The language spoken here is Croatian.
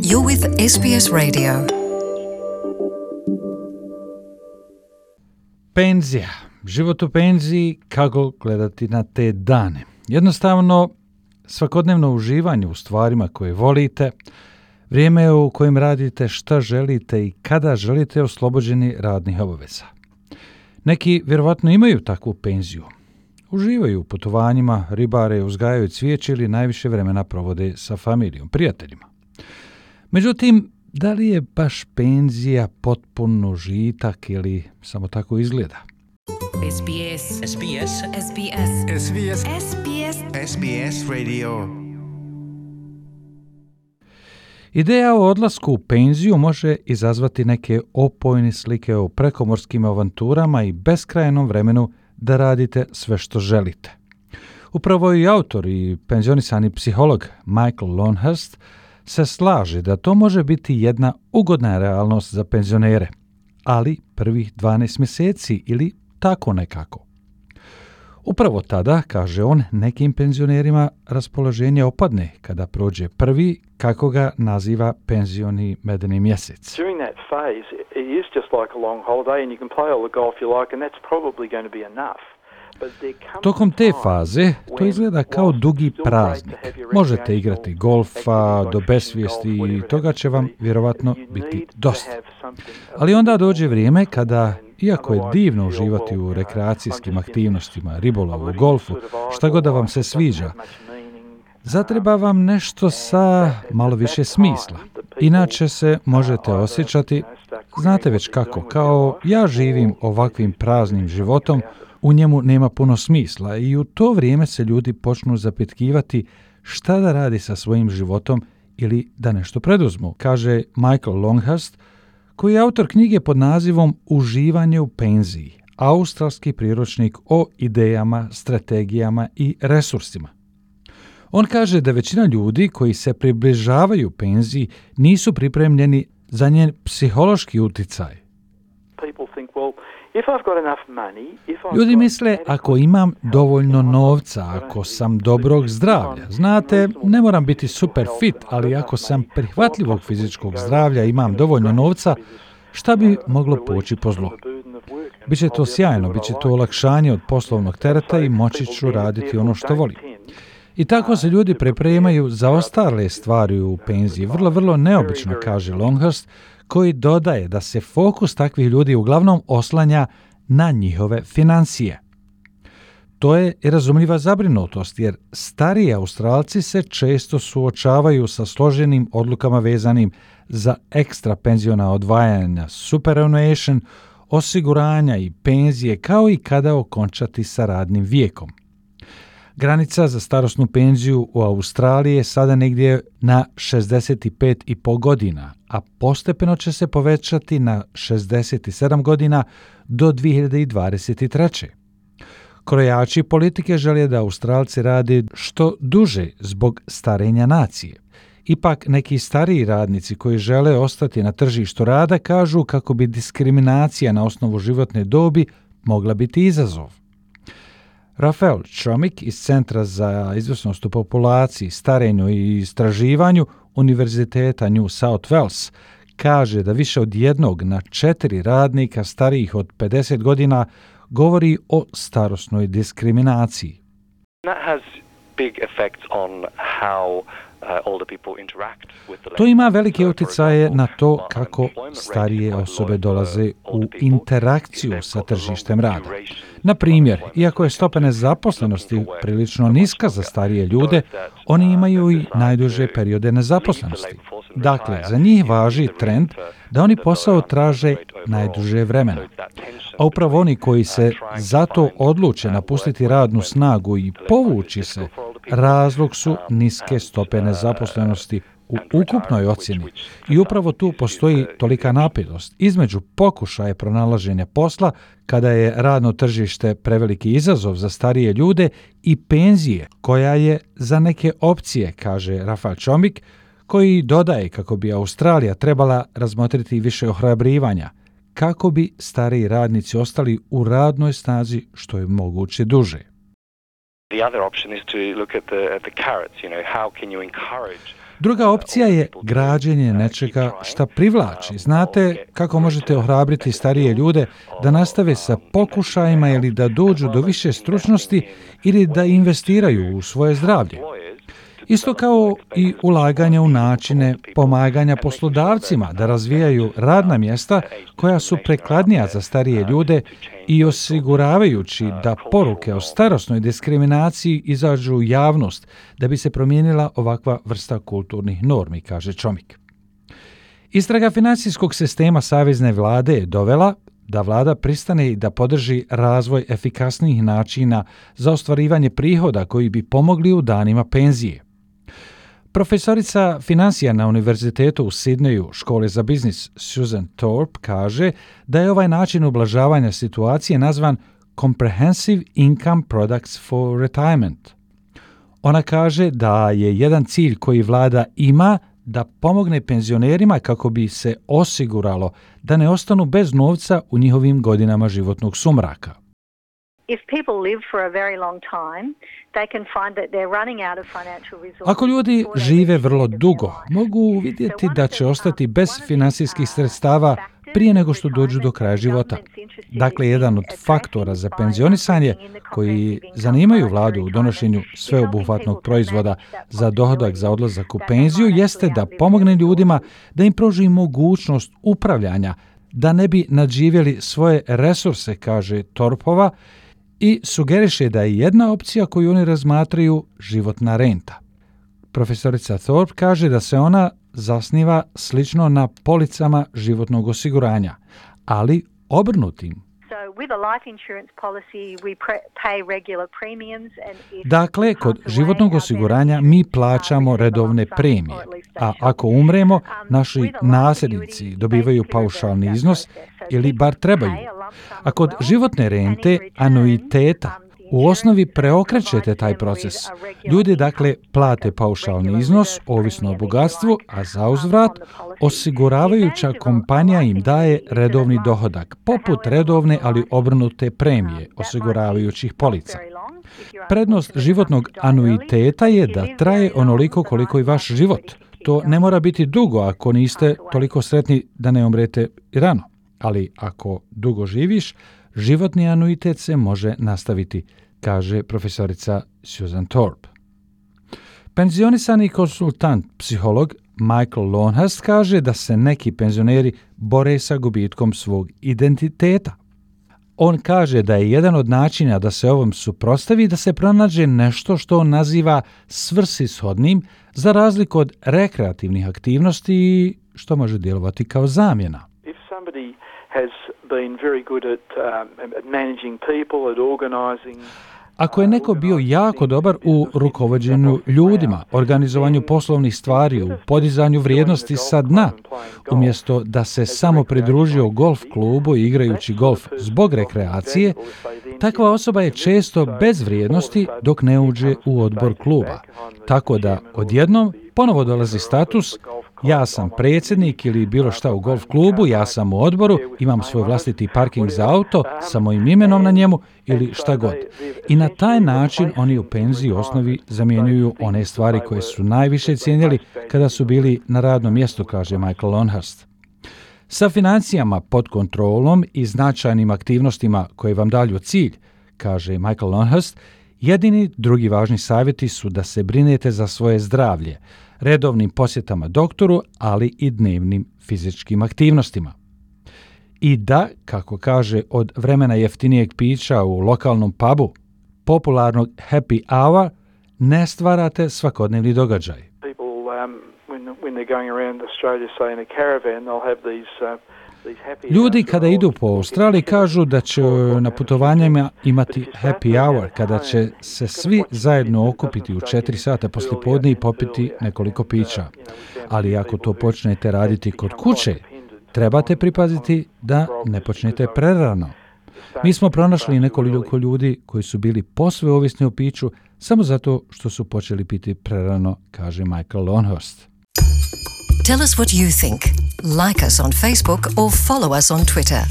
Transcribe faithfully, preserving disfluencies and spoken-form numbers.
You're with S B S Radio. Penzija, život u penziji, kako gledati na te dane. Jednostavno, svakodnevno uživanje u stvarima koje volite, vrijeme u kojem radite šta želite i kada želite oslobođeni radnih obaveza. Neki vjerovatno imaju takvu penziju. Uživaju u putovanjima, ribare, uzgajaju cvijeće ili najviše vremena provode sa familijom, prijateljima. Međutim, da li je baš penzija potpun užitak ili samo tako izgleda? S B S. S B S. S B S. S B S. S B S. S B S Radio. Ideja o odlasku u penziju može izazvati neke opojne slike o prekomorskim avanturama i beskrajnom vremenu da radite sve što želite. Upravo i autor i penzionisani psiholog Michael Longhurst se slaže da to može biti jedna ugodna realnost za penzionere, ali prvih dvanaest mjeseci ili tako nekako. Upravo tada, kaže on, nekim penzionerima raspoloženje opadne kada prođe prvi, kako ga naziva penzioni medeni mjesec. During that phase, it is just like a long holiday and you can play all the golf you like and that's probably going to be enough. Tokom te faze to izgleda kao dugi praznik. Možete igrati golfa do besvijesti i toga će vam vjerovatno biti dosta. Ali onda dođe vrijeme kada, iako je divno uživati u rekreacijskim aktivnostima, ribolovu, golfu, šta god da vam se sviđa, zatreba vam nešto sa malo više smisla. Inače se možete osjećati, znate već kako, kao ja živim ovakvim praznim životom, u njemu nema puno smisla i u to vrijeme se ljudi počnu zapitkivati šta da radi sa svojim životom ili da nešto preduzmu, kaže Michael Longhurst, koji je autor knjige pod nazivom Uživanje u penziji, australski priručnik o idejama, strategijama i resursima. On kaže da većina ljudi koji se približavaju penziji nisu pripremljeni za njen psihološki uticaj. Ljudi misle, ako imam dovoljno novca, ako sam dobrog zdravlja, znate, ne moram biti super fit, ali ako sam prihvatljivog fizičkog zdravlja i imam dovoljno novca, šta bi moglo poći po zlu? Biće to sjajno, biće to olakšanje od poslovnog tereta i moći ću raditi ono što volim. I tako se ljudi pripremaju za ostale stvari u penziji. Vrlo, vrlo neobično, kaže Longhurst, koji dodaje da se fokus takvih ljudi uglavnom oslanja na njihove financije. To je i razumljiva zabrinutost, jer stariji Australci se često suočavaju sa složenim odlukama vezanim za ekstra penziona odvajanja, superannuation, osiguranja i penzije, kao i kada okončati sa radnim vijekom. Granica za starosnu penziju u Australiji je sada negdje na šezdeset pet i pol godina, a postepeno će se povećati na šezdeset sedam godina do dvije hiljade dvadeset treće. Krojači politike žele da Australci rade što duže zbog starenja nacije. Ipak neki stariji radnici koji žele ostati na tržištu rada kažu kako bi diskriminacija na osnovu životne dobi mogla biti izazov. Rafael Chomik iz Centra za izvrsnost u populaciji, starenju i istraživanju Univerziteta New South Wales kaže da više od jednog na četiri radnika starijih od pedeset godina govori o starosnoj diskriminaciji. That has big effects on how To ima velike utjecaje na to kako starije osobe dolaze u interakciju sa tržištem rada. Na primjer, iako je stopa nezaposlenosti prilično niska za starije ljude, oni imaju i najduže periode nezaposlenosti. Dakle, za njih važi trend da oni posao traže najduže vremena. A upravo oni koji se zato odluče napustiti radnu snagu i povući se, razlog su niske stope nezaposlenosti u ukupnoj ocjeni i upravo tu postoji tolika napetost između pokušaja pronalaženja posla kada je radno tržište preveliki izazov za starije ljude i penzije koja je za neke opcije, kaže Rafael Chomik, koji dodaje kako bi Australija trebala razmotriti više ohrabrivanja kako bi stariji radnici ostali u radnoj snazi što je moguće duže. The other option is to look at the at the carrots, you know, how can you encourage Druga opcija je građenje nečega šta privlači. Znate kako možete ohrabriti starije ljude da nastave sa pokušajima ili da dođu do više stručnosti ili da investiraju u svoje zdravlje. Isto kao i ulaganje u načine pomaganja poslodavcima da razvijaju radna mjesta koja su prikladnija za starije ljude i osiguravajući da poruke o starosnoj diskriminaciji izađu u javnost da bi se promijenila ovakva vrsta kulturnih normi, kaže Čomik. Istraga financijskog sistema savezne vlade je dovela da vlada pristane i da podrži razvoj efikasnijih načina za ostvarivanje prihoda koji bi pomogli u danima penzije. Profesorica financija na Univerzitetu u Sidneju, škole za biznis Susan Thorpe, kaže da je ovaj način ublažavanja situacije nazvan Comprehensive Income Products for Retirement. Ona kaže da je jedan cilj koji vlada ima da pomogne penzionerima kako bi se osiguralo da ne ostanu bez novca u njihovim godinama životnog sumraka. If people live for a very long time, they can find that they're running out of financial resources. Ako ljudi žive vrlo dugo, mogu vidjeti da će ostati bez financijskih sredstava prije nego što dođu do kraja života. Dakle, jedan od faktora za penzionisanje koji zanimaju vladu u donošenju sveobuhvatnog proizvoda za dohodak za odlazak u penziju jeste da pomogne ljudima da im pruži mogućnost upravljanja, da ne bi nadživjeli svoje resurse, kaže Torpova, i sugeriše da je jedna opcija koju oni razmatraju životna renta. Profesorica Thorpe kaže da se ona zasniva slično na policama životnog osiguranja, ali obrnutim. Dakle, kod životnog osiguranja mi plaćamo redovne premije, a ako umremo, naši nasljednici dobivaju paušalni iznos ili bar trebaju. A kod životne rente, anuiteta, u osnovi preokrećete taj proces. Ljudi dakle plate paušalni iznos, ovisno o bogatstvu, a za uzvrat osiguravajuća kompanija im daje redovni dohodak, poput redovne ali obrnute premije osiguravajućih polica. Prednost životnog anuiteta je da traje onoliko koliko i vaš život. To ne mora biti dugo ako niste toliko sretni da ne umrete rano. Ali ako dugo živiš, životni anuitet se može nastaviti, kaže profesorica Susan Thorpe. Penzionisani konsultant, psiholog Michael Longhurst kaže da se neki penzioneri bore sa gubitkom svog identiteta. On kaže da je jedan od načina da se ovom suprotstavi da se pronađe nešto što on naziva svrsishodnim za razliku od rekreativnih aktivnosti što može djelovati kao zamjena. If somebody has been very good at um, managing people, at organizing. Ako je neko bio jako dobar u rukovođenju ljudima, organizovanju poslovnih stvari, u podizanju vrijednosti sa dna, umjesto da se samo pridružio golf klubu igrajući golf zbog rekreacije, takva osoba je često bez vrijednosti dok ne uđe u odbor kluba. Tako da odjednom ponovo dolazi status ja sam predsjednik ili bilo šta u golf klubu, ja sam u odboru, imam svoj vlastiti parking za auto sa mojim imenom na njemu ili šta god. I na taj način oni u penziji u osnovi zamjenjuju one stvari koje su najviše cijenili kada su bili na radnom mjestu, kaže Michael Longhurst. Sa financijama pod kontrolom i značajnim aktivnostima koje vam dalju cilj, kaže Michael Longhurst, jedini drugi važni savjeti su da se brinete za svoje zdravlje, redovnim posjetama doktoru, ali i dnevnim fizičkim aktivnostima. I da, kako kaže, od vremena jeftinijeg pića u lokalnom pubu, popularnog happy hour, ne stvarate svakodnevni događaj. People, um, when, when they're going around Australia, say in a caravan, they'll have these, uh, Ljudi kada idu po Australiji kažu da će na putovanjima imati happy hour, kada će se svi zajedno okupiti u četiri sata poslijepodne i popiti nekoliko pića. Ali ako to počnete raditi kod kuće, trebate pripaziti da ne počnete prerano. Mi smo pronašli nekoliko ljudi koji su bili posve ovisni o piću samo zato što su počeli piti prerano, kaže Michael Longhurst. Tell us what you think. Like us on Facebook or follow us on Twitter.